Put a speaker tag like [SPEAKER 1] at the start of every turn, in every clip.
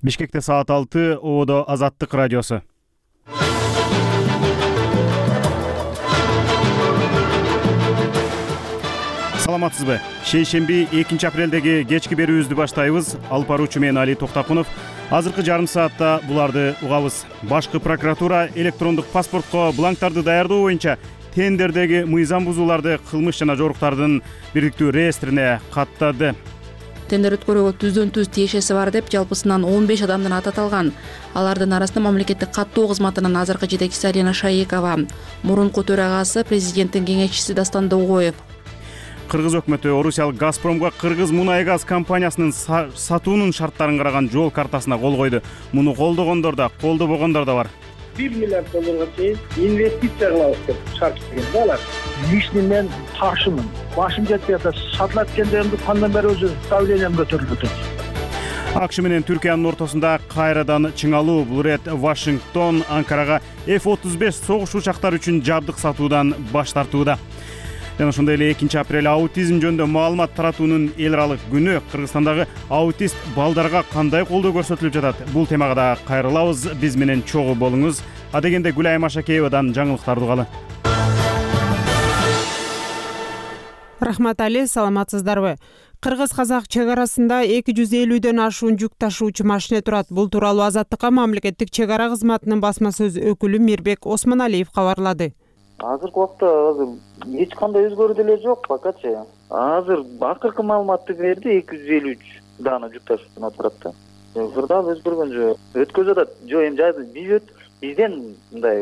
[SPEAKER 1] Бишкекте саат 6, Ободо Азаттык радиосу. Саламатсызбы? Шейшемби 2 апрелдеги кечки берүүбүздү баштайбыз. Алып баруучу мен Али Токтакунов. Азыркы жарым саатта буларды угабыз. Башкы прокуратура электрондук паспортко бланктарды даярдоо боюнча тендердеги мыйзам бузууларды кылмыш жана жоруктардын бирдиктүү реестрине каттады.
[SPEAKER 2] Тендер өткөрүүгө түздөн-түз тиешеси бар деп жалпысынан 15 адамдын аты аталган. Алардын арасында мамлекеттик каттоо кызматынын азыркы жетекчиси Алина Шаекова, мурунку төрагасы президенттин кеңешчиси Дастан Догоев.
[SPEAKER 1] Кыргыз өкмөтү Орусиялык Газпромго Кыргыз мунай газ компаниясынын сатуунун шарттарын караган жол картасына кол койду. Муну колдогондор да, колдобогондор да бар.
[SPEAKER 3] $1 миллиард чейин инвестиция кылабыз деп шарт түзгөн да алар. Лишний мен ташымын. Башым жетпей атат. Сатылат экен кандан бери өзү давлением көтөрүлүп атат.
[SPEAKER 1] АКШ менен Түркиянын ортосунда кайрадан чыңалуу. Бул рет Вашингтон Анкарага F-35 согуш учактары үчүн жабдык сатуудан баш тартууда. Жана ошондой эле 2 апрель аутизм жөнүндө маалымат таратуунун эл аралык күнү. Кыргызстандагы аутист балдарга кандай колдоо көрсөтүлүп жатат? Бул темага да кайрылабыз. Биз менен чогуу болуңуз. Адегенде Гүлайым Ашакеевадан жаңылыктарды угалы.
[SPEAKER 4] Рахмат Али, саламатсыздарбы? Кыргыз-казак чек арасында 250дөн ашуун жүк ташуучу машина турат. Бул тууралуу Азаттыкка мамлекеттик чек ара кызматынын басма сөз өкүлү Мирбек Осмоналиев кабарлады.
[SPEAKER 5] Азыркы убакта эч кандай өзгөрүү деле жок покачы. Азыр акыркы маалыматты берди 253 даана жүк ташуучу турат. Кырдаап өзгөргөн жок. Өткөзүп атат. Жок, эми бизден мындай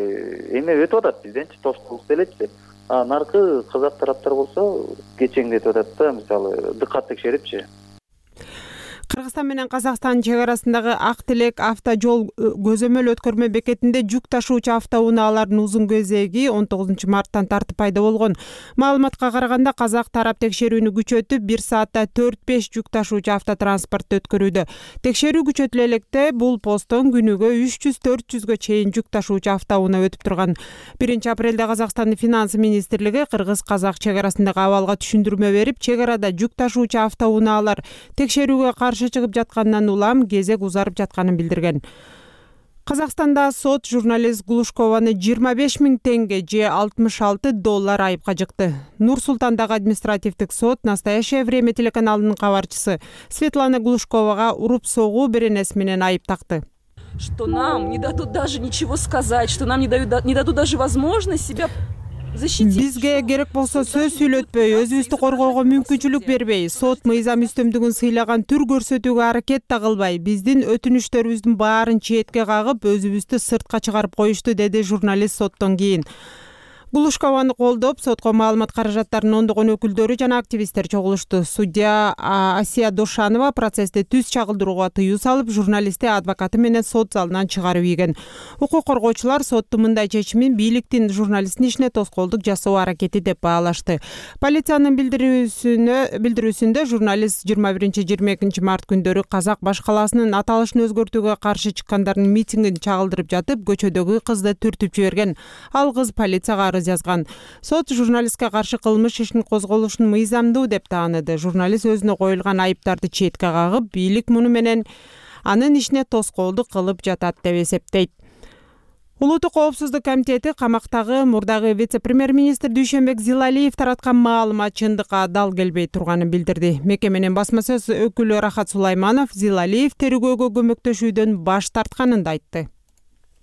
[SPEAKER 5] эме өтүп атат, бизденчи тоскоолдук делечи. Наркы казак тараптар болсо кечеңдетип атат да, мисалы дыкат текшерипчи.
[SPEAKER 4] Кыргызстан менен Казакстан чек арасындагы Ак Тилек автожол көзөмөл өткөрмө бекетинде жүк ташуучу автоунаалардын узун кезеги 19 марттан тартып пайда болгон. Маалыматка караганда казак тарап текшерүүнү күчөтүп 1 саатта 4-5 жүк ташуучу автотранспортту өткөрүүдө. Текшерүү күчөтүлө электе бул посттон күнүгө 300-400гө чейин жүк ташуучу автоунаа өтүп турган. 1 апрелде Казакстандын финансы министрлиги кыргыз-казак чек арасындагы абалга түшүндүрмө берип, чек арада жүк ташуучу автоунаалар текшерүүгө каршы чыгып жаткандан улам кезек узарып жатканын билдирген. Казакстанда сот журналист Глушкованы 25 000 тенге же $66 айыпка жыкты. Нур-Султандагы административдик сот «Настоящее время» телеканалынын кабарчысы Светлана Глушковага уруп согуу беренеси менен айып такты.
[SPEAKER 6] Что нам не дадут даже ничего сказать, что нам не дадут даже возможность себя защитить.
[SPEAKER 4] Бизге керек болсо сөз сүйлөтпөй, өзүбүздү коргоого мүмкүнчүлүк бербей, сот мыйзам үстөмдүгүн сыйлаган түр көрсөтүүгө аракет да кылбай, биздин өтүнүштөрүбүздүн баарын четке кагып, өзүбүздү сыртка чыгарып коюшту, деди журналист соттон кийин. Глушкованы колдоп, сотко маалымат каражаттарынын ондогон өкүлдөрү жана активисттер чогулушту. Судья Асия Дошанова процессте түз чагылдырууга тыюу салып, журналистти адвокаты менен сот залынан чыгарып ийген. Укук коргоочулар соттун мындай чечимин бийликтин журналисттин ишине тоскоолдук жасоо аракети деп баалашты. Полициянын билдирүүсүндө журналист 21-22 март күндөрү Казак баш калаасынын аталышын өзгөртүүгө каршы чыккандардын митингин чагылдырып жатып, көчөдөгү кызды түртүп жиберген. Ал кыз полицияга жазган. Сот журналистке каршы кылмыш ишин козголушун мыйзамдуу деп тааныды. Журналист өзүнө коюлган айыптарды четке кагып, бийлик муну менен анын ишине тоскоолдук кылып жатат деп эсептейт. Улуттук коопсуздук комитети камактагы мурдагы вице-премьер-министр Дүйшөнбек Зилалиев тараткан маалымат чындыкка дал келбей турганын билдирди. Мекеменин басма сөз өкүлү Рахат Сулайманов Зилалиев терүүгө көмөктөшүүдөн баш тартканын да айтты.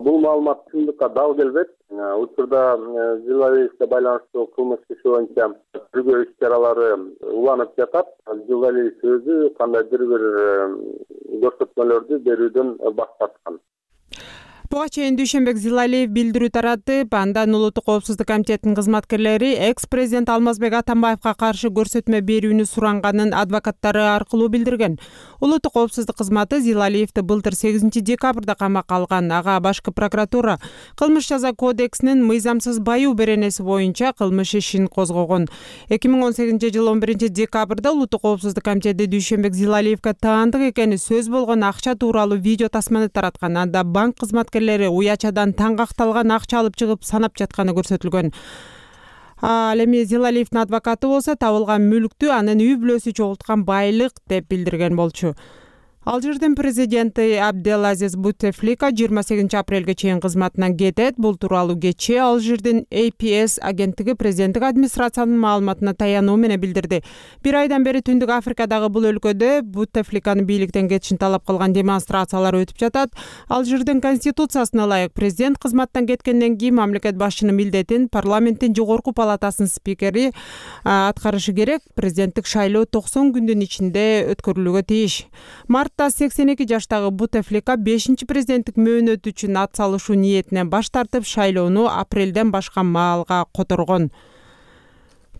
[SPEAKER 7] Бул маалымат чындыкка дал келбейт. Учурда Зилалиевге байланыштуу кылмыш иши боюнча тергөө иш-чаралары уланып жатат. Зилалиев өзү кандайдыр бир көрсөтмөлөрдү берүүдөн баш тарткан.
[SPEAKER 4] Буга чейин Дүйшөнбек Зилалиев билдирүү таратып, андан Улуттук коопсуздук комитетинин кызматкерлери экс-президент Алмазбек Атамбаевга каршы көрсөтмө берүүнү суранганын адвокаттары аркылуу билдирген. Улуттук коопсуздук кызматы Зилалиевди былтыр 8 декабрда камакка алган. Ага башкы прокуратура кылмыш жаза кодексинин мыйзамсыз баюу беренеси боюнча кылмыш ишин козгогон. 2018-жылы 11 декабрда Улуттук коопсуздук комитети Дүйшөнбек Зилалиевге таандык экени сөз болгон акча тууралуу видео тасманы тараткан. Анда банк кызматкерлери уячадан таңгакталган акча алып чыгып санап жатканы көрсөтүлгөн. Ал эми Зилалиевдин адвокаты болсо табылган мүлктү анын үй бүлөсү чогулткан байлык деп билдирген болчу. Алжирдин президенти Абделазиз Бутефлика 28 апрелге чейин кызматынан кетет. Бул тууралуу кечээ Алжирдин APS агенттиги президенттик администрациянын маалыматына таянуу менен билдирди. Бир айдан бери Түндүк Африкадагы бул өлкөдө Бутефликанын бийликтен кетишин талап кылган демонстрациялар өтүп жатат. Алжирдин конституциясына ылайык президент кызматтан кеткенден кийин мамлекет башчынын милдетин парламенттин жогорку палатасынын спикери аткарышы керек. Президенттик шайлоо 90 күндүн ичинде өткөрүлүүгө тийиш. Мартта 82 жаштагы Бутефлика 5-чи президенттик мөөнөт үчүн ат салышуу ниетинен баш тартып, шайлоону апрелден башка маалга которгон.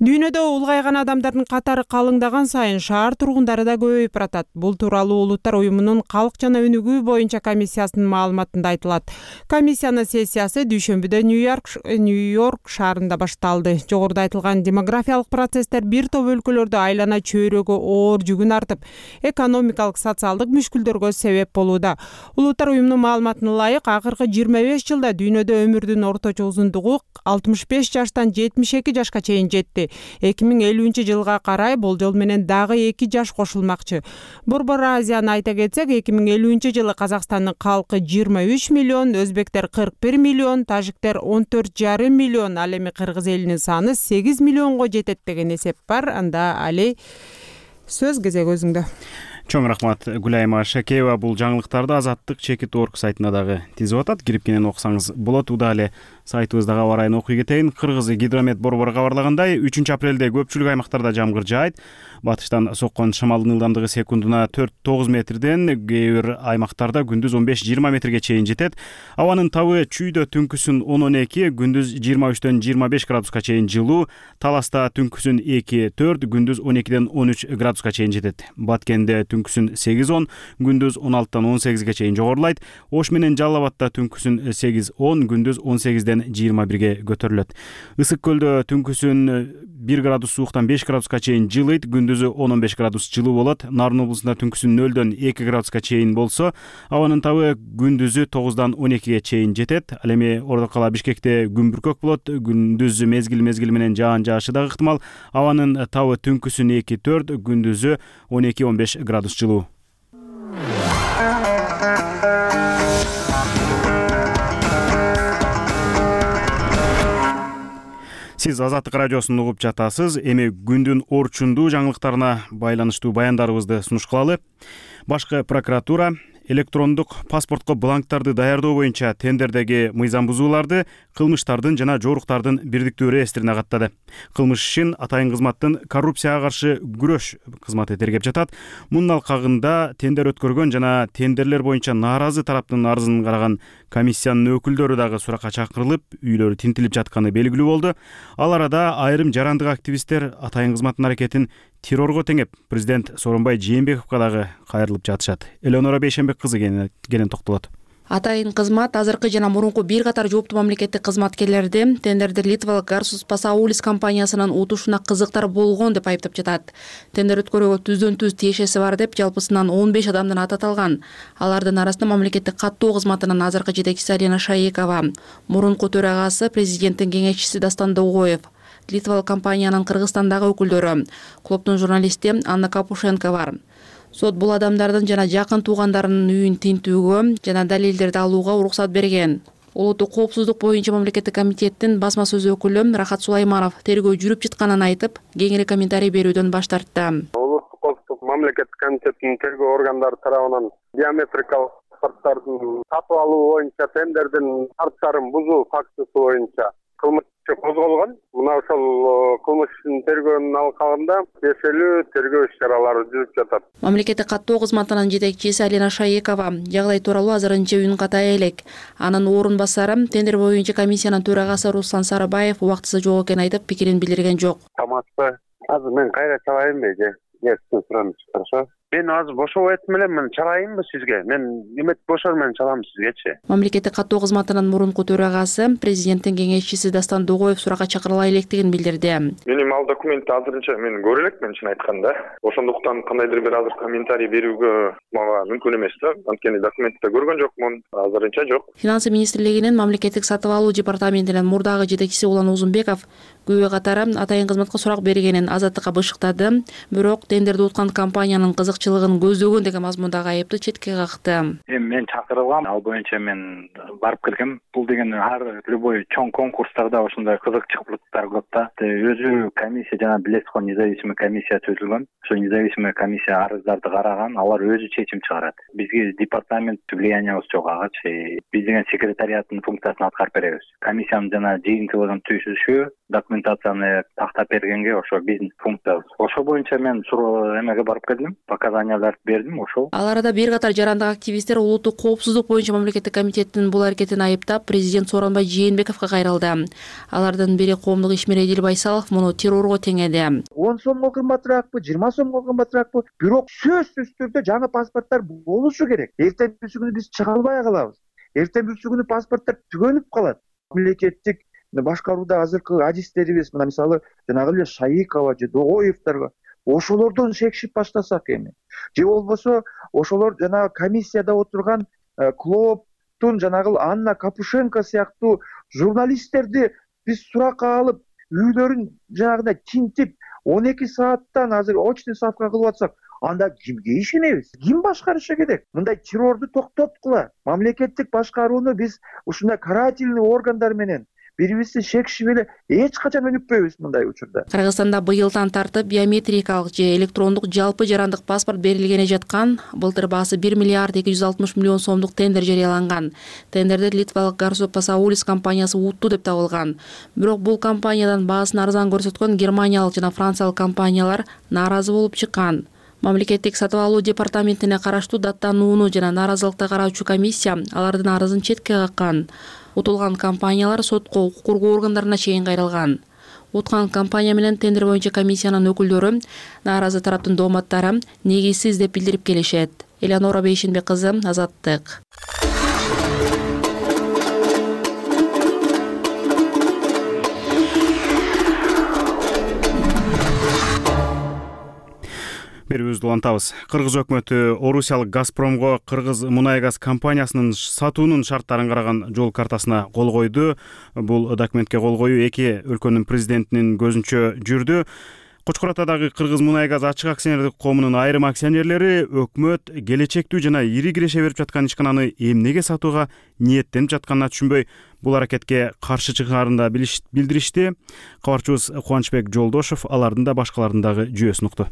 [SPEAKER 4] Дүйнөдө улгайган адамдардын катары калыңдаган сайын шаар тургундары да көбөйүп баратат. Бул тууралуу Улуттар уюмунун калк жана өнүгүү боюнча комиссиясынын маалыматында айтылат. Комиссиянын сессиясы дүйшөмбүдө Нью-Йорк шаарында башталды. Жогоруда айтылган демографиялык процесстер бир топ өлкөлөрдө айлана чөйрөгө оор жүгүн артып, экономикалык, социалдык мүшкүлдөргө себеп болууда. Улуттар уюмунун маалыматына ылайык, акыркы 25 жылда дүйнөдө өмүрдүн орточо узундугу 65 жаштан 72 жашка чейин жетти. 2050-жылга карай болжол менен дагы 2 жаш кошулмакчы. Борбор Азияны айта кетсек, 2050-жылы Казакстандын калкы 23 миллион, өзбектер 41 миллион, тажиктер 14,5 миллион, ал эми кыргыз элинин саны 8 миллионго жетет деген эсеп бар. Анда Али, сөз кезеги өзүңдө.
[SPEAKER 1] Чоң рахмат Гүлайма Шакеева. Бул жаңылыктарды Азаттык Чекит.орг сайтына дагы тизип атат. Кирип кенен окусаңыз болот. Удале сайтыбыздагы аба ырайын окуй кетейин. Кыргыз гидромет борбору кабарлагандай, 3 апрелде көпчүлүк аймактарда жамгыр жаайт. Батыштан соккон шамалдын ылдамдыгы секундуна 4-9 метрден, кээ бир аймактарда күндүз 15-20 метрге чейин жетет. Абанын табы чүйдө түнкүсүн 10-12, күндүз 23-дөн 25 градуска чейин жылуу, Таласта түнкүсүн 2-4, күндүз 12-ден 13 градуска чейин жетет. Баткенде түнкүсүн 8-10, күндүз 16-дан 18-ге чейин жогорулайт. Ош менен Жалал Абадта түнкүсүн 8-10, күндүз 18-ден 21-ге көтөрүлөт. Ысык көлдө түнкүсүн 1 градус сууктан 5 градуска чейин жылыйт, күндүзү 10-15 градус жылуу болот. Нарын облусунда түнкүсүн 0-дөн 2 градуска чейин болсо, абанын табы күндүзү 9-дан 12-ге чейин жетет. Ал эми Ордокала, Бишкекте күн бүркөк болот, күндүзү мезгил менен жаан жаашы да ыктымал. Абанын табы түнкүсүн 2-4, күндүзү 12-15 градус жылуу. Сиз Азаттык радиосун угуп жатасыз. Эми күндүн орчундуу жаңылыктарына байланыштуу баяндарыбызды сунуш кылалы. Башкы прокуратура электрондук паспортко бланктарды даярдоо боюнча тендердеги мыйзам бузууларды, кылмыштардын жана жоруктардын бирдиктүү реестрине каттады. Кылмыш ишин Атайын кызматтын коррупцияга каршы күрөш кызматы тергеп жатат. Мунун алкагында тендер өткөргөн жана тендерлер боюнча нааразы тараптын арызын караган комиссиянын өкүлдөрү дагы суракка чакырылып, үйлөрү тинтилип жатканы белгилүү болду. Ал арада айрым жарандык активисттер Атайын кызматтын аракетин террорго теңеп, президент Сооронбай Жээнбековго дагы кайрылып жатышат. Элеонора Бейшенбек кызы кенен токтолот.
[SPEAKER 2] Атайын кызмат азыркы жана мурунку бир катар жооптуу мамлекеттик кызматкерлерди тендерди Литвалык Garsus Pasaulis компаниясынын утушуна кызыктар болгон деп айыптап жатат. Тендер өткөрүүгө түздөн-түз тиешеси бар деп жалпысынан 15 адамдын аты аталган. Алардын арасында мамлекеттик каттоо кызматынын азыркы жетекчиси Алина Шаекова, мурунку төрагасы президенттин кеңешчиси Дастан Догоев, Литвалык компаниянын Кыргызстандагы өкүлдөрү, клубдун журналисти Анна Капушенко бар. Сот бул адамдардын жана жакын туугандарынын үйүн тинтүүгө жана далилдерди алууга уруксат берген. Улуттук коопсуздук боюнча мамлекеттик комитеттин басма сөз өкүлү Рахат Сулайманов тергөө жүрүп жатканын айтып, кеңири комментарий берүүдөн баш тартты.
[SPEAKER 7] Улуттук коопсуздук мамлекеттик комитеттин тергөө органдары тарабынан биометрикалык паспорттардын сатып алуу боюнча тендердин шарттарын бузуу фактысы боюнча кылмыш козголгон. Мына ошол кылмыш ишинин тергөөнүн алкагында тиешелүү тергөө иш-чаралары жүрүп жатат.
[SPEAKER 2] Мамлекеттик каттоо кызматынын жетекчиси Алина Шаекова жагдай тууралуу азырынча үн катай элек. Анын орун басары тендер боюнча комиссиянын төрагасы Руслан Сарыбаев убактысы жок экенин айтып, пикирин билдирген жок.
[SPEAKER 7] Тамашпы. Азыр мен кайра чалайынбы же? Yes, хорошо. Мен азыр бошоп айтым элем, мен чалайынбы сизге? Мен эмет бошор менен чалам сизгечи.
[SPEAKER 2] Мамлекеттик каттоо кызматынын мурунку төрагасы президенттин кеңешчиси Дастан Догоев суракка чакырыла электигин билдирди.
[SPEAKER 8] Менин ал документти азырынча мен көрө элекмин, чын айтканда. Ошондуктан кандайдыр бир азыр комментарий берүүгө мага мүмкүн эмес да. Анткени документти көргөн жокмун, азырынча жок.
[SPEAKER 2] Финансы министрлигинин мамлекеттик сатып алуу департаментинин мурдагы жетекчиси Улан Узунбеков күбө катары Атайын кызматка сурак бергенин Азаттыкка бышыктады. Бирок тендерди уткан компаниянын кызык артыкчылыгын көздөгөн деген мазмундагы айыпты четке какты.
[SPEAKER 9] Эми мен чакырылгам, ал боюнча мен барып келгем. Бул деген ар любой чоң конкурстарда ошондой кызыкчылыктар көп да. Өзү комиссия жана билесиз го, независимый комиссия түзүлгөн. Ошо независимый комиссия арыздарды караган, алар өзү чечим чыгарат. Бизге департамент влиянияыбыз жок агачы. Биз деген секретариаттын функциясын аткарып беребиз. Комиссиянын жана жыйынтыгын түзүшү, документацияны тактап бергенге ошо биздин функциябыз. Ошо боюнча мен эмеге барып келдим, показанияларды бердим, ошол.
[SPEAKER 2] Ал арада бир катар жарандык активисттер улуттук коопсуздук боюнча мамлекеттик комитеттин бул аракетин айыптап, президент Сооронбай Жээнбековго кайрылды. Алардын бири коомдук ишмер Эдил Байсалов муну террорго теңеди.
[SPEAKER 10] 10 сомго кымбатыраакпы, 20 сомго кымбатыраакпы, бирок сөзсүз түрдө жаңы паспорттор болушу керек. Эртеңки күнү биз чыга албай калабыз. Эртеңки күнү паспорттор түгөнүп калат. Мамлекеттик башкарууда азыркы адистерибиз, мына мисалы жанагы эле Шайыкова же Догоевдорго ошолордон шекшип баштасак эми. Же болбосо ошолор жанагы комиссияда отурган Клооптун жанагы Анна Капушенко сыяктуу журналисттерди биз суракка алып, үйлөрүн жанагындай тинтип 12 сааттан азыр очный ставка кылып атсак, анда кимге ишенебиз? Ким башкарышы керек? Мындай террорду токтоткула. Мамлекеттик башкарууну биз ушундай карательный органдар менен бири-бирибизди шекишип эле эч качан өнүкпөйбүз мындай учурда.
[SPEAKER 2] Кыргызстанда быйылдан тартып биометрикалык же электрондук жалпы жарандык паспорт берилгене жаткан. Былтыр баасы 1 миллиард 260 миллион сомдук тендер жарыяланган. Тендерди литвалык Garso Pasaulis компаниясы утту деп табылган. Бирок бул компаниядан баасын арзан көрсөткөн германиялык жана франциялык компаниялар нааразы болуп чыккан. Мамлекеттик сатып алуу департаментине караштуу даттанууну жана нааразылыкты караучу комиссия алардын арызын четке каккан. Утулган компаниялар сотко, укук коргоо органдарына чейин кайрылган. Уткан компания менен тендер боюнча комиссиянын өкүлдөрү нааразы тараптын дооматтары негизсиз деп билдирип келишет. Элеонора Бейшенбек кызы, Азаттык.
[SPEAKER 1] Берүүбүздү улантабыз. Кыргыз өкмөтү Орусиялык Газпромго Кыргыз мунай газ компаниясынын сатуунун шарттарын караган жол картасына кол койду. Бул документке кол коюу эки өлкөнүн президентинин көзүнчө жүрдү. Кочкор Атадагы Кыргыз мунай газ ачык акционердик коомунун айрым акционерлери өкмөт келечектүү жана ири киреше берип жаткан ишкананы эмнеге сатууга ниеттенип жатканына түшүнбөй, бул аракетке каршы чыгарын да билдиришти. Кабарчыбыз Кубанычбек Жолдошов алардын да башкалардын дагы жүйөсүн укту.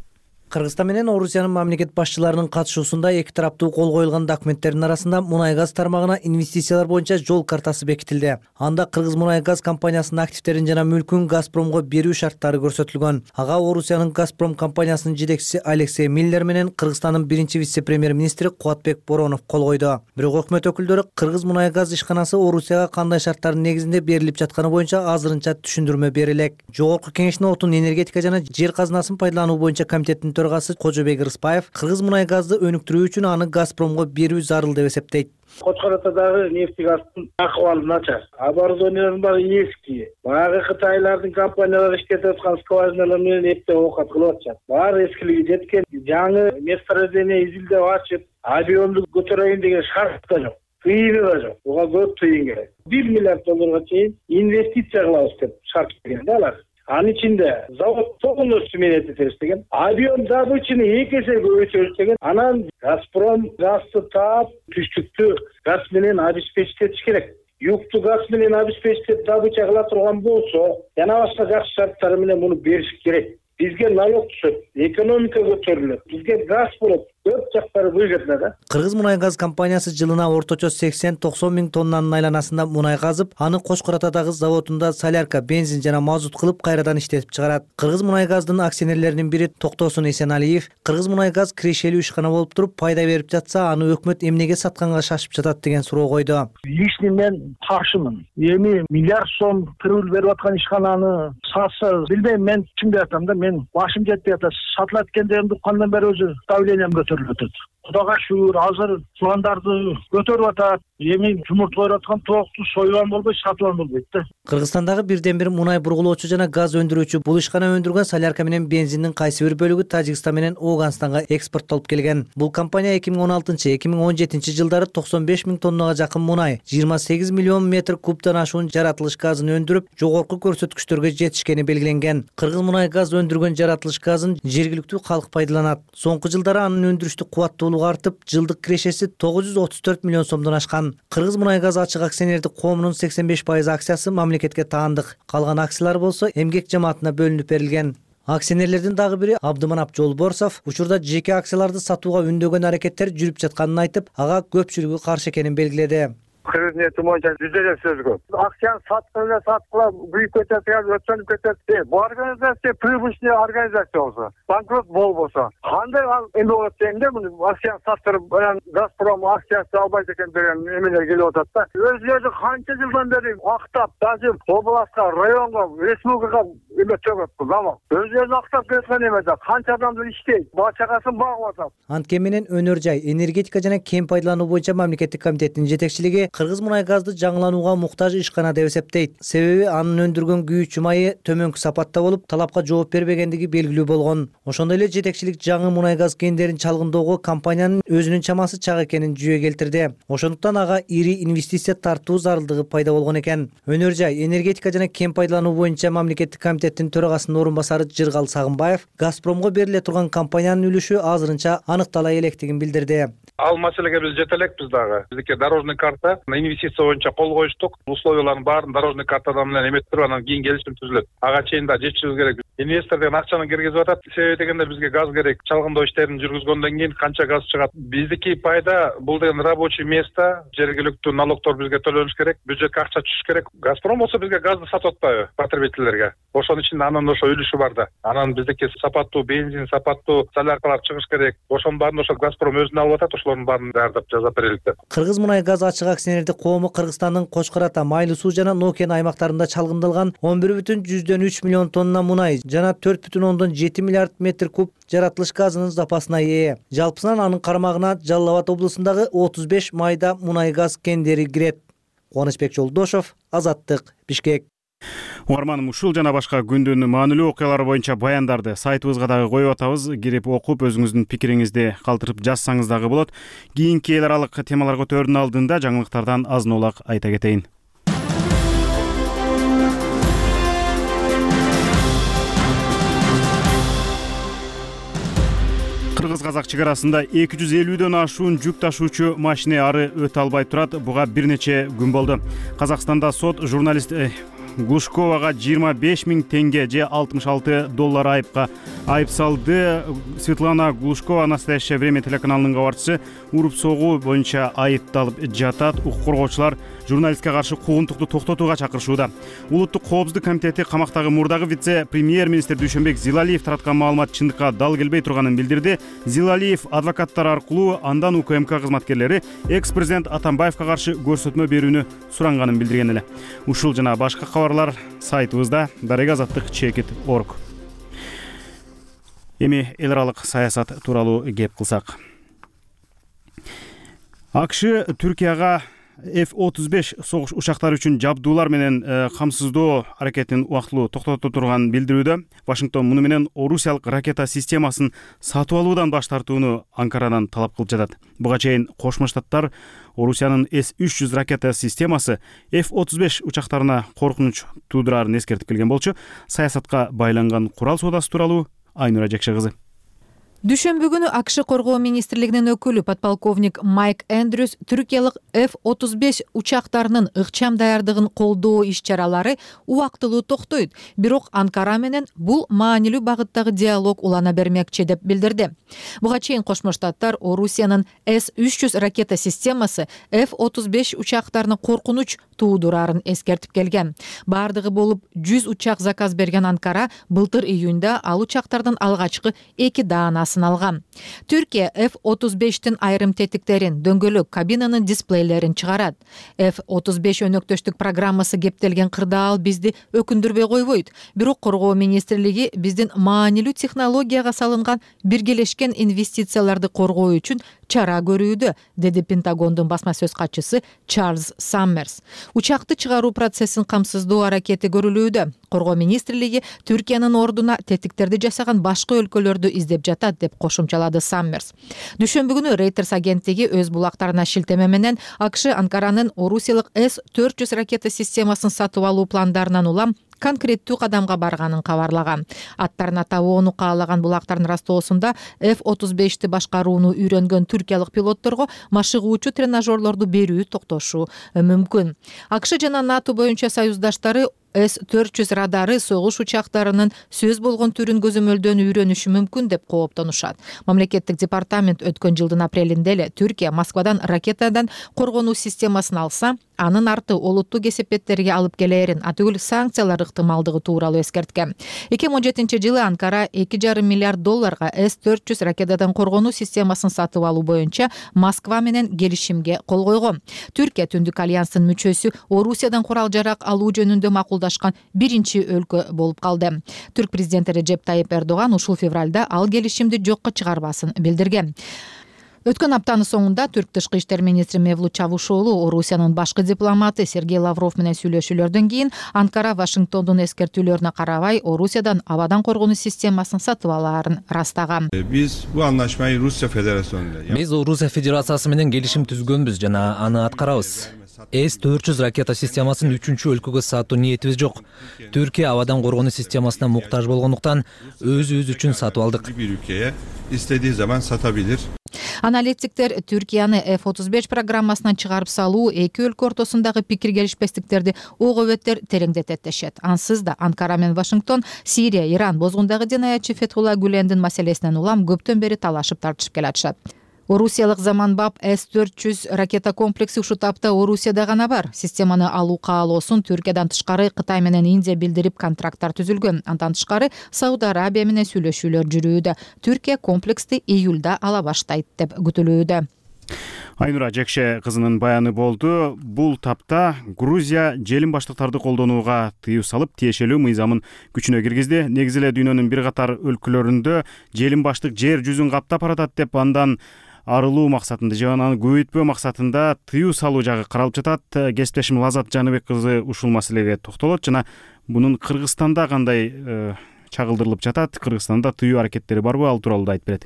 [SPEAKER 11] Кыргызстан менен Орусиянын мамлекет башчыларынын катышуусунда эки тараптуу кол коюлган документтердин арасында мунай газ тармагына инвестициялар боюнча жол картасы бекитилди. Анда Кыргыз мунай газ компаниясынын активдерин жана мүлкүн Газпромго берүү шарттары көрсөтүлгөн. Ага Орусиянын Газпром компаниясынын жетекчиси Алексей Миллер менен Кыргызстандын биринчи вице-премьер-министри Кубатбек Боронов кол койду. Бирок өкмөт өкүлдөрү Кыргыз мунай газ ишканасы Орусияга кандай шарттардын негизинде берилип жатканы боюнча азырынча түшүндүрмө бере элек. Жогорку кеңештин отун, энергетика жана жер казынасын пайдалануу боюнча комитеттин төрагасы Кожобек Рыспаев Кыргыз мунай газды өнүктүрүү үчүн аны Газпромго берүү зарыл деп эсептейт.
[SPEAKER 3] Кочкор Атадагы нефтегаздын акыбалы начар. Оборудованиялардын баары эски. Баягы Кытайлардын компаниялары иштетип аткан скважиналар менен эптеп оокат кылып атышат. Баары эскилиги жеткен. Жаңы месторождение изилдеп ачып, объемду көтөрөйүн деген шарт да жок. Тыйыны да жок. Буга көп тыйын керек. 1 миллиард долларга чейин инвестиция кылабыз деп шарт берген да алар. Анын ичинде завод полностью менен этебиз деген. Объем добычаны 2 эсе көбөйтөбүз деген. Анан Газпром газды таап, түштүктү газ менен обеспечить керек. Юкту газ менен обеспечить добыча кыла турган болсо, жана башка жакшы шарттар менен муну бериш керек. Бизге налог түшөт, экономика көтөрүлөт, бизге газ болот. Көп жактары бөлгөтүлөт да.
[SPEAKER 11] Кыргыз мунай газ компаниясы жылына орточо 80-90 миң тоннанын айланасында мунай газып, аны Кочкор Атадагы заводунда солярка, бензин жана мазут кылып кайрадан иштетип чыгарат. Кыргыз мунай газдын акционерлеринин бири Токтосун Эсеналиев Кыргыз мунай газ кирешелүү ишкана болуп туруп пайда берип жатса, аны өкмөт эмнеге сатканга шашып жатат деген суроо койду.
[SPEAKER 3] Лишний мен каршымын. Эми миллиард сом кырыл берип аткан ишкананы сатса, билбейм, мен чындап айтам да, мен башым жетпей атат. Сатылат экендигимди кандан бери өзү давлением көтөрүлүп атат. Кудайга шүгүр, азыр чубандарды көтөрүп атат. Эми жумуртка аткан токту союган болбойт, сатып болбойт да.
[SPEAKER 11] Кыргызстандагы бирден бир мунай бургулоочу жана газ өндүрүүчү бул ишкана өндүргөн солярка менен бензиндин кайсы бир бөлүгү Тажикстан менен Ооганстанга экспорттолуп келген. Бул компания 2016-2017 жылдары 95 000 тоннага жакын мунай, 28 миллион метр кубтан ашуун жаратылыш газын өндүрүп, жогорку көрсөткүчтөргө жетишкени белгиленген. Кыргыз мунай газ өндүргөн жаратылыш газын жергиликтүү калк пайдаланат. Соңку жылдары анын өндүрүштүк кубаттуулугу артып, жылдык кирешеси 934 миллион сомдон ашкан. Кыргыз мунай газ ачык акционердик коомунун 85% акциясы мамлекетке таандык. Калган акциялар болсо эмгек жамаатына бөлүнүп берилген. Акционерлердин дагы бири Абдыманап Жолборсов учурда жеке акцияларды сатууга үндөгөн аракеттер жүрүп жатканын айтып, ага көпчүлүгү каршы экенин белгиледи.
[SPEAKER 12] Кыргыз ниети боюнча жүзө эле сөз көп. Акцияны саткыла büyük кетет, өтөнүп кетет. Бул организация прибыльный организация болсо, банкрот болбосо, кандай эме болот дегенде, муну акцияны саттырып, Газпром акциясы албайт экен деген эмелер келип атат да. Өзүлөрү канча жылдан бери актап, даже областка, районго, республикага эме төгөт бул заман. Өзүлөрү актап кеткен эме да, канча адамдар иштейт, бала чагасын багып атат.
[SPEAKER 11] Анткени менен өнөр жай, энергетика жана кем пайдалануу боюнча мамлекеттик комитеттин жетекчилиги Кыргыз мунай газды жаңыланууга муктаж ишкана деп эсептейт. Себеби анын өндүргөн күйүүчү майы төмөнкү сапатта болуп, талапка жооп бербегендиги белгилүү болгон. Ошондой эле жетекчилик жаңы мунай газ кендерин чалгындоого компаниянын өзүнүн чамасы чак экенин жүйө келтирди. Ошондуктан ага ири инвестиция тартуу зарылдыгы пайда болгон экен. Өнөр жай, энергетика жана кем пайдалануу боюнча мамлекеттик комитеттин төрагасынын орун басары Жыргал Сагынбаев Газпромго бериле турган компаниянын үлүшү азырынча аныктала электигин билдирди.
[SPEAKER 13] Ал маселеге биз жете элекпиз дагы. Биздики дорожный карта инвестиция боюнча кол коюштук. Условиялардын баарын дорожный картадан менен эметип, анан кийин келишим түзүлөт. Ага чейин да жетишибиз керек. Инвестор деген акчаны киргизип атат. Себеби дегенде бизге газ керек. Чалгындоо иштерин жүргүзгөндөн кийин канча газ чыгат? Биздики пайда бул деген рабочий место, жергиликтүү налогтор бизге төлөнүш керек, бюджетке акча түшүш керек. Газпром болсо бизге газды сатып атпайбы потребительдерге? Ошонун ичинде анын ошо үлүшү бар да. Анан биздики сапаттуу бензин, сапаттуу соляркалар чыгыш керек. Ошонун баарын ошо Газпром өзүнө алып атат. Ошолордун баарын даярдап жазап берелик деп.
[SPEAKER 11] Кыргыз мунай газ ачык акционердик коому Кыргызстандын Кочкор Ата, Майлуу суу жана Нокен аймактарында чалгындалган 11,3 миллион тонна мунай жана 4,7 миллиард метр куб жаратылыш газынын запасына ээ. Жалпысынан анын кармагына Жалал Абад облусундагы 35 майда мунай газ кендери кирет. Кубанычбек Жолдошов, Азаттык, Бишкек.
[SPEAKER 1] Угарманым, ушул жана башка күндүн маанилүү окуялары боюнча баяндарды сайтыбызга дагы коюп атабыз. Кирип окуп, өзүңүздүн пикириңизди калтырып жазсаңыз дагы болот. Кийинки эл аралык темалар көтөрүүнүн алдында жаңылыктардан азын-улак айта кетейин. Кыргыз-казак чек арасында 250дөн ашуун жүк ташуучу машина ары өтө албай турат. Буга бир нече күн болду. Казакстанда сот журналист Глушковага 25 000 тенге же $66 айып салды. Светлана Глушкова «Настоящее время» телеканалынын кабарчысы уруп согуу боюнча айыпталып жатат. Укук коргоочулар журналистке каршы куугунтукту токтотууга чакырышууда. Улуттук коопсуздук комитети камактагы мурдагы вице-премьер-министр Дүйшөнбек Зилалиев тараткан маалымат чындыкка дал келбей турганын билдирди. Зилалиев адвокаттар аркылуу андан УКМК кызматкерлери экс-президент Атамбаевка каршы көрсөтмө берүүнү суранганын билдирген эле. Ушул жана башка кабарлар сайтыбызда darega.org. Эми эл аралык саясат тууралуу кеп кылсак. АКШ Түркияга F-35 согуш учактары үчүн жабдуулар менен камсыздоо аракетин убактылуу токтото турганын билдирүүдө. Вашингтон муну менен орусиялык ракета системасын сатып алуудан баш тартууну Анкарадан талап кылып жатат. Буга чейин Кошмо Штаттар Орусиянын С-300 ракета системасы F-35 учактарына коркунуч туудурарын эскертип келген болчу. Саясатка байланган курал соодасы тууралуу Айнура Жекше кызы.
[SPEAKER 14] Дүйшөмбү күнү АКШ коргоо министрлигинин өкүлү подполковник Майк Эндрюс түркиялык F-35 учактарынын ыкчам даярдыгын колдоо иш-чаралары убактылуу токтойт, бирок Анкара менен бул маанилүү багыттагы диалог улана бермекчи деп билдирди. Буга чейин Кошмо Штаттар Орусиянын С-300 ракета системасы F-35 учактарына коркунуч туудурарын эскертип келген. Бардыгы болуп 100 учак заказ берген Анкара былтыр июнда ал учактардын алгачкы 2 даанасын алган. Түркия F-35тин айрым тетиктерин, дөңгөлөк кабинанын дисплейлерин чыгарат. F-35 өнөктөштүк программасы кептелген кырдаал бизди өкүндүрбөй койбойт. Бирок коргоо министрлиги биздин маанилүү технологияга салынган биргелешкен инвестицияларды коргоо үчүн чара көрүүдө, деди Пентагондун басма сөз катчысы Чарльз Саммерс. Учакты чыгаруу процессин камсыздоо аракети көрүлүүдө. Коргоо министрлиги Түркиянын ордуна тетиктерди жасаган башка өлкөлөрдү издеп жатат деп кошумчалады Саммерс. Дүйшөмбү күнү Reuters агенттиги өз булактарына шилтеме менен АКШ Анкаранын орусиялык С-400 ракета системасын сатып алуу пландарынан улам конкреттүү кадамга барганын кабарлаган. Аттарын атабоону каалаган булактардын растоосунда F-35 башкарууну үйрөнгөн түркиялык пилотторго машыгуучу тренажерлорду берүү токтошу мүмкүн. АКШ жана НАТО боюнча союздаштары С-400 радары согуш учактарынын сөз болгон түрүн көзөмөлдөн үйрөнүшү мүмкүн деп кооптонушат. Мамлекеттик департамент өткөн жылдын апрелинде эле Түркия Москвадан ракетадан коргонуу системасын алса, анын арты олуттуу кесепеттерге алып келерин, атүгүл санкциялар ыктымалдыгы тууралуу эскерткен. 2017-жылы Анкара $2,5 миллиард С-400 ракетадан коргонуу системасын сатып алуу боюнча Москва менен келишимге кол койгон. Түркия Түндүк альянстын мүчөсү Орусиядан курал жарак алуу жөнүндө макулдашкан биринчи өлкө болуп калды. Түрк президенти Режеп Тайип Эрдоган ушул февралда ал келишимди жокко чыгарбасын билдирген. Өткөн аптанын соңунда Түрк тышкы иштер министри Мевлут Чавушоğlu Орусиянын башкы дипломаты Сергей Лавров менен сүйлөшүүлөрдөн кийин Анкара Вашингтондун эскертүүлөрүнө карабай Орусиядан абадан коргонуу системасын сатып алаарын растаган.
[SPEAKER 15] Биз Орусия Федерациясы менен келишим түзгөнбүз жана аны аткарабыз. С-400 ракета системасын 3-чү өлкөгө сатуу ниетибиз жок. Түркия абадан коргонуу системасына муктаж болгондуктан өзүбүз үчүн сатып алдык.
[SPEAKER 16] Bir ülkeye istediği zaman satabilir.
[SPEAKER 14] Аналитиктер Түркияны F-35 программасынан чыгарып салуу эки өлкө ортосундагы пикир келишпестиктерди ого-беттер тереңдетет дешет. Ансыз да Анкара менен Вашингтон Сирия, Иран бозгундагы динаятчы Фетхулла Гүлендин маселесинен улам көптөн бери талашып тартышып келатышат. Орусиялык заманбап С-400 ракета комплекси ушул тапта Орусияда гана бар. Системаны алуу каалоосун Түркиядан тышкары Кытай менен Индия билдирип контракттар түзүлгөн. Андан тышкары Сауд Арабия менен сүйлөшүүлөр жүрүүдө. Түркия комплексти июлда ала баштайт деп күтүлүүдө.
[SPEAKER 1] Айнура Жекше кызынын баяны болду. Бул тапта Грузия желим баштыктарды колдонууга тыюу салып, тиешелүү мыйзамын күчүнө киргизди. Негизи эле дүйнөнүн бир катар өлкөлөрүндө желим баштык жер жүзүн каптап баратат деп андан арылуу максатында же аны көбөйтпөө максатында тыюу салуу жагы каралып жатат. Кесиптешим Лазат Жаныбек кызы ушул маселеге токтолот жана бунун Кыргызстанда кандай чагылдырылып жатат, Кыргызстанда тыюу аракеттери барбы, ал тууралуу да айтып берет.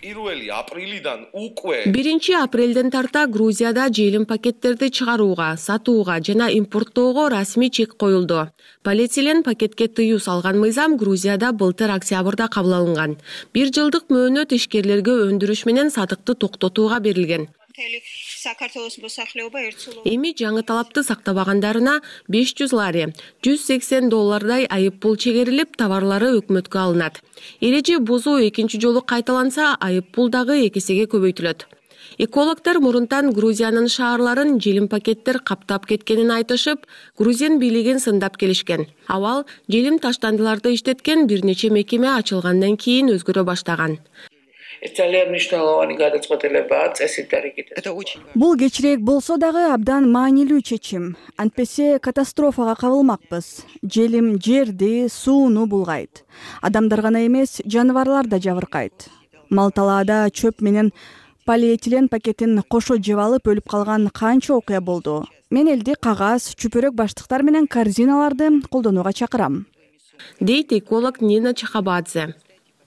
[SPEAKER 17] 1-апрелден тарта Грузияда желим пакеттерди чыгарууга, сатууга жана импорттоого расмий чек коюлду. Полиэтилен пакетке тыюу салган мыйзам Грузияда былтыр октябрда кабыл алынган. 1 жылдык мөөнөт ишкерлерге өндүрүш менен сатыкты токтотууга берилген. Эми жаңы талапты сактабагандарына 500 лари, $180 айып пул чегерилип, товарлары өкмөткө алынат. Эреже бузуу экинчи жолу кайталанса, айып пул дагы 2 эсеге көбөйтүлөт. Экологдор мурунтан Грузиянын шаарларын желим пакеттер каптап кеткенин айтышып, Грузиян бийлигин сындап келишкен. Абал желим таштандыларды иштеткен бир нече мекеме ачылгандан кийин өзгөрө баштаган.
[SPEAKER 18] Бул кечирээк болсо дагы абдан маанилүү чечим. Антпесе катастрофага кабылмакпыз. Желим жерди, сууну булгайт. Адамдар гана эмес, жаныбарлар да жабыркайт. Мал талаада чөп менен полиэтилен пакетин кошо жеп алып өлүп калган канча окуя болду. Мен элди кагаз, чүпүрөк баштыктар менен корзиналарды колдонууга чакырам.
[SPEAKER 17] Дейт эколог Нина Чахабадзе.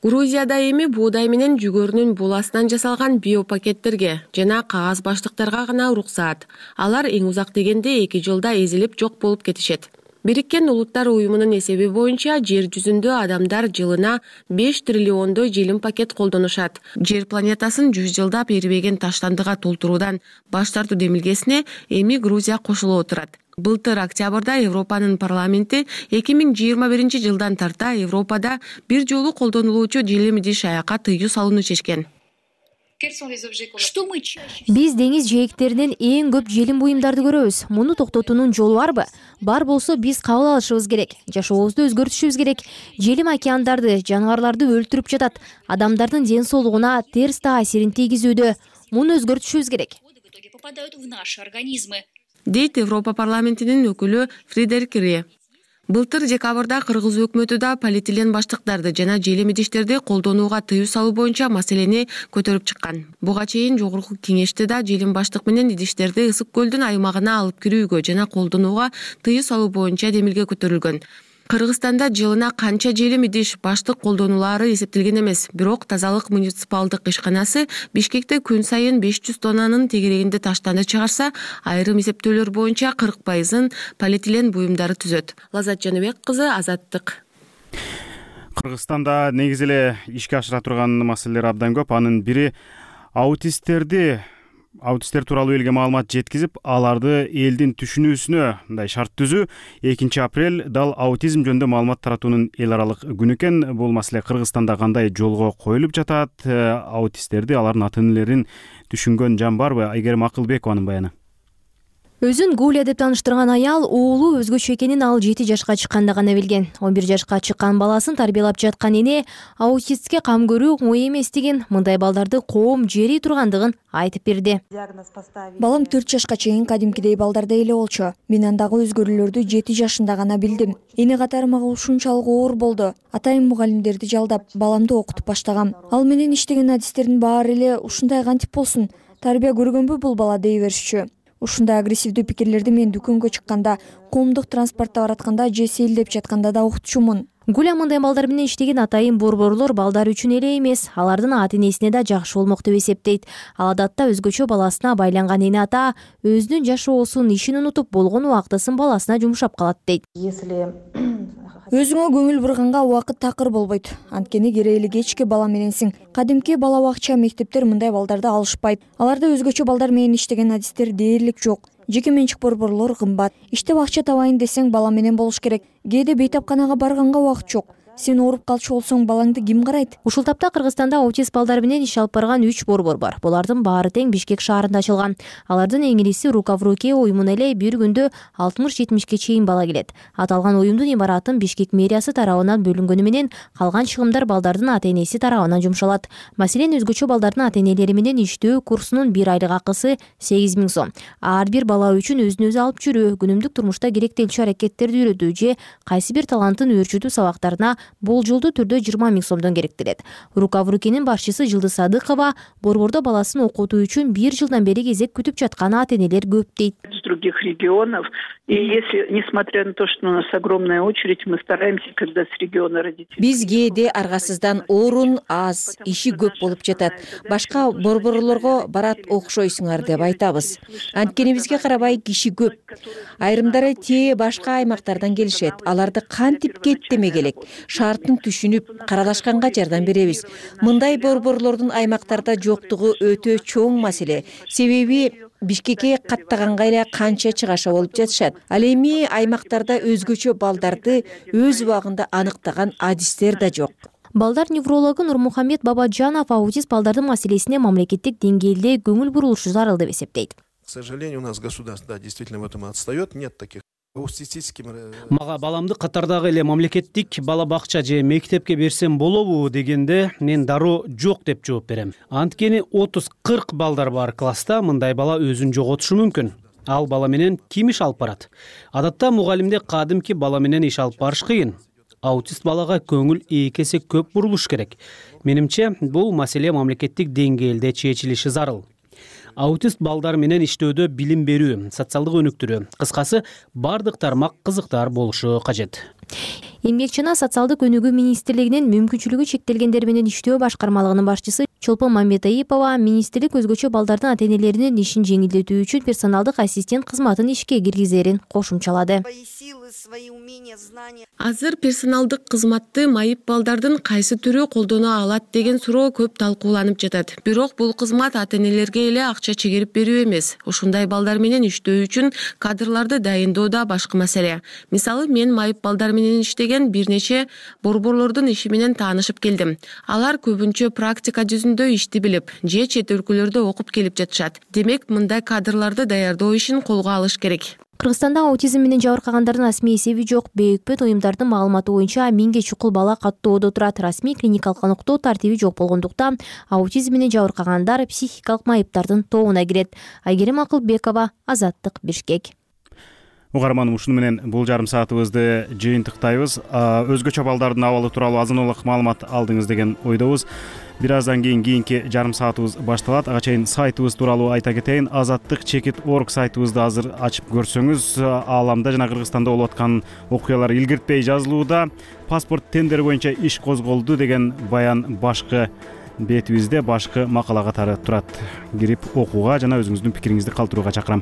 [SPEAKER 17] Грузияда эми буудай менен жүгөрүнүн буласынан жасалган биопакеттерге жана кагаз баштыктарга гана уруксаат. Алар эң узак дегенде 2 жылда эзилип жок болуп кетишет. Бириккен Улуттар уюмунун эсеби боюнча жер жүзүндө адамдар жылына 5 триллиондой желим пакет колдонушат. Жер планетасын 100 жылдап эрибеген таштандыга толтуруудан баш тартуу демилгесине эми Грузия кошулуп отурат. Былтыр октябрда Европанын парламенти 2021 жылдан тарта Европада бир жолу колдонулуучу желим идиш-аякка тыюу салууну чечкен.
[SPEAKER 19] Биз деңиз жээктеринен эң көп желим буюмдарды көрөбүз. Муну токтотуунун жолу барбы? Бар болсо биз кабыл алышыбыз керек. Жашообузду өзгөртүшүбүз керек. Желим океандарды, жаныбарларды өлтүрүп жатат. Адамдардын ден соолугуна терс таасирин тийгизүүдө. Муну өзгөртүшүбүз керек.
[SPEAKER 17] Дейт Европа парламентинин өкүлү Фредерик Ре. Былтыр декабрда кыргыз өкмөтү да полиэтилен баштыктарды жана желим идиштерди колдонууга тыюу салуу боюнча маселени көтөрүп чыккан. Буга чейин жогорку кеңеште да желим баштык менен идиштерди Ысык көлдүн аймагына алып кирүүгө жана колдонууга тыюу салуу боюнча демилге көтөрүлгөн. Кыргызстанда жылына канча желим идиш баштык колдонулары эсептелген эмес. Бирок тазалык муниципалдык ишканасы Бишкекте күн сайын 500 тоннанын тегерегинде таштанды чыгарса, айрым эсептөөлөр боюнча 40% полиэтилен буюмдары түзөт. Лазат Жаныбек кызы, Азаттык.
[SPEAKER 1] Кыргызстанда негизи эле ишке ашыра турган маселелер абдан көп. Анын бири аутисттер тууралуу элге маалымат жеткизип, аларды элдин түшүнүүсүнө мындай шарт түзүү. 2 апрель дал аутизм жөнүндө маалымат таратуунун эл аралык күнү экен. Бул маселе Кыргызстанда кандай жолго коюлуп жатат? Аутисттерди, алардын ата-энелерин түшүнгөн жан барбы? Айгерим Акылбекованын баяны.
[SPEAKER 19] Өзүн Гуля деп тааныштырган аял уулу өзгөчө экенин ал 7 жашка чыкканда гана билген. 11 жашка чыккан баласын тарбиялап жаткан эне аутистке кам көрүү оңой эмес деген, мындай балдарды коом жери тургандыгын айтып берди.
[SPEAKER 20] Балам 4 жашка чейин кадимкидей балдардай эле болчу. Мен андагы өзгөрүүлөрдү 7 жашында гана билдим. Эне катары мага ушунчалык оор болду. Атайын мугалимдерди жалдап, баламды окутуп баштагам. Ал менен иштеген адистердин баары эле ушундай кантип болсун? Тарбия көргөнбү бул бала дей беришчү. Ушундай агрессивдүү пикирлерди мен дүкөнгө чыкканда, коомдук транспортто баратканда же сейилдеп жатканда да уктучумун.
[SPEAKER 19] Гуля мындай балдар менен иштеген атайын борборлор балдар үчүн эле эмес, алардын ата-энесине да жакшы болмок деп эсептейт. Ал адатта өзгөчө баласына байланган эне ата өзүнүн жашоосун, ишин унутуп болгон убактысын баласына жумшап калат дейт.
[SPEAKER 20] Өзүңө көңүл бурганга убакыт такыр болбойт. Анткени керейли кечки бала мененсиң. Кадимки бала бакча мектептер мындай балдарды алышпайт. Аларда өзгөчө балдар менен иштеген адистер дээрлик жок. Жеке менчик борборлор кымбат. Иштеп акча табайын десең бала менен болуш керек. Кээде бейтапканага барганга убакыт жок. Сен ооруп калчу болсоң балаңды ким карайт?
[SPEAKER 19] Ушул тапта Кыргызстанда аутист балдар менен иш алып барган 3 борбор бар. Булардын баары тең Бишкек шаарында ачылган. Алардын эң ириси Рука в руке уюмуна эле бир күндө 60-70ке чейин бала келет. Аталган уюмдун имаратын Бишкек мэриясы тарабынан бөлүнгөнү менен калган чыгымдар балдардын ата-энеси тарабынан жумшалат. Маселен, өзгөчө балдардын ата-энелери менен иштөө курсунун 1 айлык акысы 8000 сом. Ар бир бала үчүн өзүн өзү алып жүрүү, күнүмдүк турмушта керектелчү аракеттерди үйрөтүү же кайсы бир талантын өөрчүтүү сабактарына болжолдуу түрдө 20 000 сомдон керектелет. Рука в рукенин башчысы Жылдыз Садыкова борбордо баласын окутуу үчүн 1 жылдан бери кезек күтүп жаткан ата-энелер көп дейт.
[SPEAKER 21] С других регионов. И если, несмотря на то, что у нас огромная очередь, мы стараемся, когда с региона родители.
[SPEAKER 22] Биз кээде аргасыздан орун аз, иши көп болуп жатат. Башка борборлорго барат окшойсуңар деп айтабыз. Анткени бизге карабай киши көп. Айрымдары те башка аймактардан келишет. Аларды кантип кеттеме келек. Шарттын түшүнүп, каралашканга жардам беребиз. Мындай борборлордун аймактарда жоктугу өтө чоң маселе. Себеби Бишкекке каттаганга эле канча чыгаша болуп жатышат. Ал эми аймактарда өзгөчө балдарды өз убагында аныктаган адистер да жок.
[SPEAKER 19] Балдар неврологу Нурмухамед Бабаджанов аутист балдардын маселесине мамлекеттик деңгээлде көңүл бурулушу зарыл деп эсептейт.
[SPEAKER 23] К сожалению, у нас государство действительно в этом отстает. Нет таких.
[SPEAKER 24] Мага баламды катардагы эле мамлекеттик бала бакча же мектепке берсем болобу дегенде мен дароо жок деп жооп берем. Анткени 30-40 балдар бар класста, мындай бала өзүн жоготушу мүмкүн. Ал бала менен ким иш алып барат? Адатта мугалимде кадимки бала менен иш алып барыш кыйын. Аутист балага көңүл 2 эсе көп бурулуш керек. Менимче, бул маселе мамлекеттик деңгээлде чечилиши зарыл. Аутист балдар менен иштөөдө билим берүү, социалдык өнүктүрүү, кыскасы бардык тармак кызыктар болушу кажет.
[SPEAKER 19] Эмгек жана социалдык өнүгүү министрлигинин мүмкүнчүлүгү чектелгендер менен иштөө башкармалыгынын башчысы Чолпон Мамбетаипова министрлик өзгөчө балдардын ата-энелеринин ишин жеңилдетүү үчүн персоналдык ассистент кызматын ишке киргизерин кошумчалады.
[SPEAKER 17] Азыр персоналдык кызматты майып балдардын кайсы түрү колдоно алат деген суроо көп талкууланып жатат. Бирок бул кызмат ата-энелерге эле акча чегирип берүү эмес. Ушундай балдар менен иштөө үчүн кадрларды дайындоо да башка маселе. Мисалы, мен майып балдар менен иштеген бир нече борборлордун иши менен таанышып келдим. Алар көбүнчө практика жүзүндө ишти билип, же чет өлкөлөрдө окуп келип жатышат. Демек, мындай кадрларды даярдоо ишин колго алыш керек.
[SPEAKER 19] Кыргызстанда аутизм менен жабыркагандардын расмий эсеби жок. Бейөкпөт уюмдардын маалыматы боюнча 1000ге чукул бала каттоодо турат. Расмий клиникалык аныктоо тартиби жок болгондуктан аутизм менен жабыркагандар психикалык майыптардын тобуна кирет. Айгерим Акылбекова, Азаттык, Бишкек.
[SPEAKER 1] угарманым, ушуну менен бул жарым саатыбызды жыйынтыктайбыз. Өзгөчө балдардын абалы тууралуу азын улак маалымат алдыңыз деген ойдобуз. Бир аздан кийинки жарым саатыбыз башталат. Ага чейин сайтыбыз тууралуу айта кетейин. Азаттык.org сайтыбызды азыр ачып көрсөңүз, ааламда жана Кыргызстанда болуп аткан окуялар илгиртпей жазылууда. Паспорт тендери боюнча иш козголду деген баян башкы бетибизде, башкы макала катары турат. Кирип окууга жана өзүңүздүн пикириңизди калтырууга чакырам.